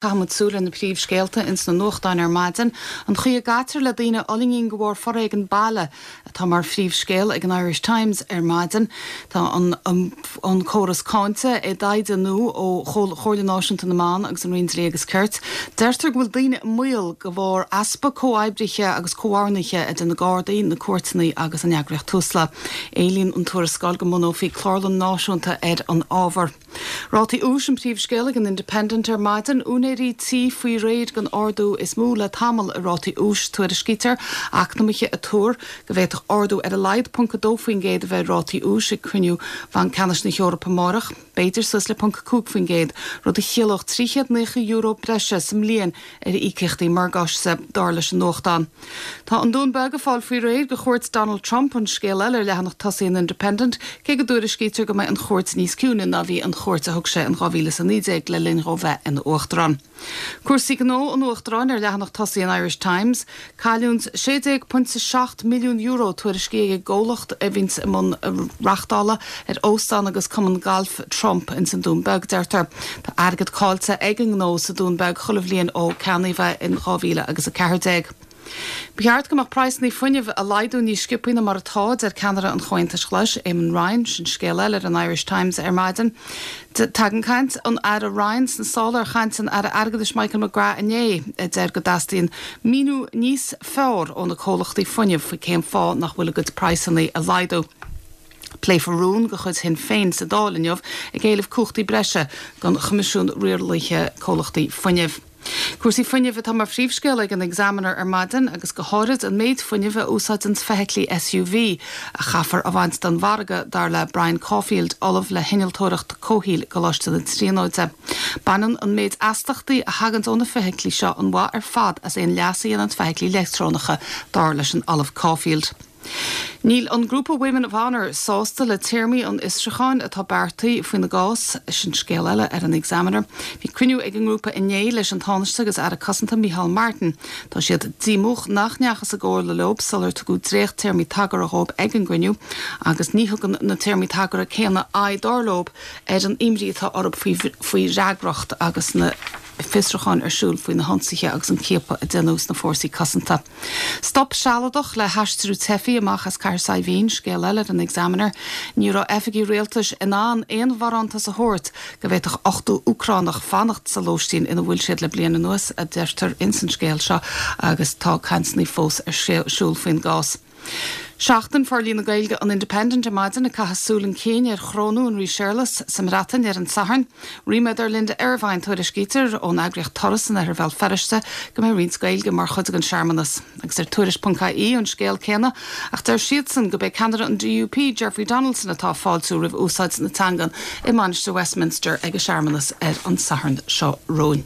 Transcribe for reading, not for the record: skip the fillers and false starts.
Caithfimid súil ar na príomhscéalta ins na nuachtáin ar maidin. An chaoi a gcaitear le daoine a fhulaingíonn de bharr foréigean baile atá mar phríomhscéal ag an Irish Times ar maidin. Tá an córas cáinte i dtaighde nua ó Chomhairle Náisiúnta na mBan agus an Roinn Dlí agus Cirt. Deirtear go bhfuil daoine i mbaol de bharr easpa comhoibrithe agus comhordnaithe idir na Gardaí, na cúirteanna agus an eagraíocht Tusla. Éilíonn an tuarascáil go mbunófaí clárlann náisiúnta ar an ábhar. Rátaí úis an príomhscéal ag an Independent ar maidin. Úinéirí tí faoi réir don ardú is mó le tamall i rátaí úis. Tuairiscítear eacnamaithe ag tuar go bhféadfadh ardú ar a laghad 0.2% a bheith ar rátaí úis ag cruinniú Bhanc Ceannais na hEorpa amárach, b'fhéidir suas le 0.5%, rud a chiallódh €390 breise sa mbliain ar íocaíochtaí morgáiste, dar leis an nuachtán. Tá an Dún Beag ag fáil faoi réir do chuairt Donald Trump, an scéal eile ar leathanach tosaigh an Independent, cé go dtuairiscítear go mbeidh an chuairt níos ciúine ná bhí an chuairt a thug sé in 2019 le linn dhó bheith ina Uachtarán. Cúrsaí gnó an Uachtaráin ar leathanach tosaigh an Irish Times. Cailliúint €16.7 milliún tuairiscithe ag an gcomhlacht a bhíonns i mbun reachtála ar óstán agus cumann gailf Trump ins an Dún Beag, deirtear. Tá airgead caillte ag an ngnó sa Dún Beag chuile bhliain ó ceannaíodh é in 2000 agus 14. Ba cheart go mbeadh praghsanna fuinnimh á laghdú níos sciobthaí ná mar atá, a deir ceannaire an Chomhaontais Ghlais, Eamon Ryan. Sin scéal eile ar an Irish Times ar maidin. Tagann caint an Aire Ryan sna sála ar chaint an Aire Airgeadais Michael McGrath inné, a deir go dteastaíonn míniú níos fearr ó na comhlachtaí fuinnimh faoi cén fáth nach bhfuil a gcuid praghsanna á laghdú. Pléifear rún de chuid Shinn Féin sa Dáil inniu ag éileamh cumhachtaí breise don Choimisiún Rialaithe Comhlachtaí Fuinnimh. Cúrsaí fuinnimh atá mar phríomhscéal ag an Examiner ar maidin agus go háirid an méid fuinnimh a úsáideanns feithiclí SUV a chaithfear a bhaint den mhargadh, dar le Brian Caulfield, Ollamh le hInnealtóireacht Comhshaoil i gColáiste na Tríonóide. Baineann an méid astachtaí a thaganns ó na feithiclí seo an mhaith ar fad as aon leas a dhéananns feithiclí leictreonacha, dar leis an Ollamh Caulfield. Níl an grúpa Women of Honour sásta le téarmaí an fhiosrúcháin atá beartaithe faoina gcás. Sin scéal eile ar an Examiner. Bhí cruinniú ag an ngrúpa inné leis an Tánaiste agus Aire Cosanta Micheál Martin. Tá siad díomách nach ndeachthas i gcomhairle leo sular tugadh dréacht-téarmaí tagartha dhóibh ag an gcruinniú agus ní thugann na téarmaí tagartha céanna aghaidh dar leo ar an imní atá orthu faoi fhreagracht agus na fiosrúcháin ar siúl faoi na hionsaithe agus an ciapadh a déanadh sna fórsaí cosanta. Stop sealadach le haistriú teifigh amach as Cathair Saidhbhín, scéal eile ar an Examiner. Ní raibh oifigigh rialtais in ann aon bharántas a thabhairt go bhféadfadh 80 Úcránach fanacht sa lóistín ina bhfuil siad le bliain anuas, a deirtear ins an scéal seo agus tá cainteanna fós ar siúl faoin gcás. Seachtain Forlíonadh Gaeilge an Independent ar maidin ag caitheamh súil chun cinn ar chorónú an Rí Séarlas sa mBreatain ar an Satharn. Ríméad ar Linda Ervine, tuairiscítear ón eagraíocht Turas in oirthear Bhéal Feirste go mbeidh roinnt Gaeilge mar chuid den searmanas. Agus ar Tuairisc.ie an scéal céanna ach deir siadsan go b'é ceannaire an DUP, Jeffrey Donaldson atá ag fáiltiú roimh úsáid na teangan i Mainistir Westminster ag an searmanas ar an Satharn seo romhainn.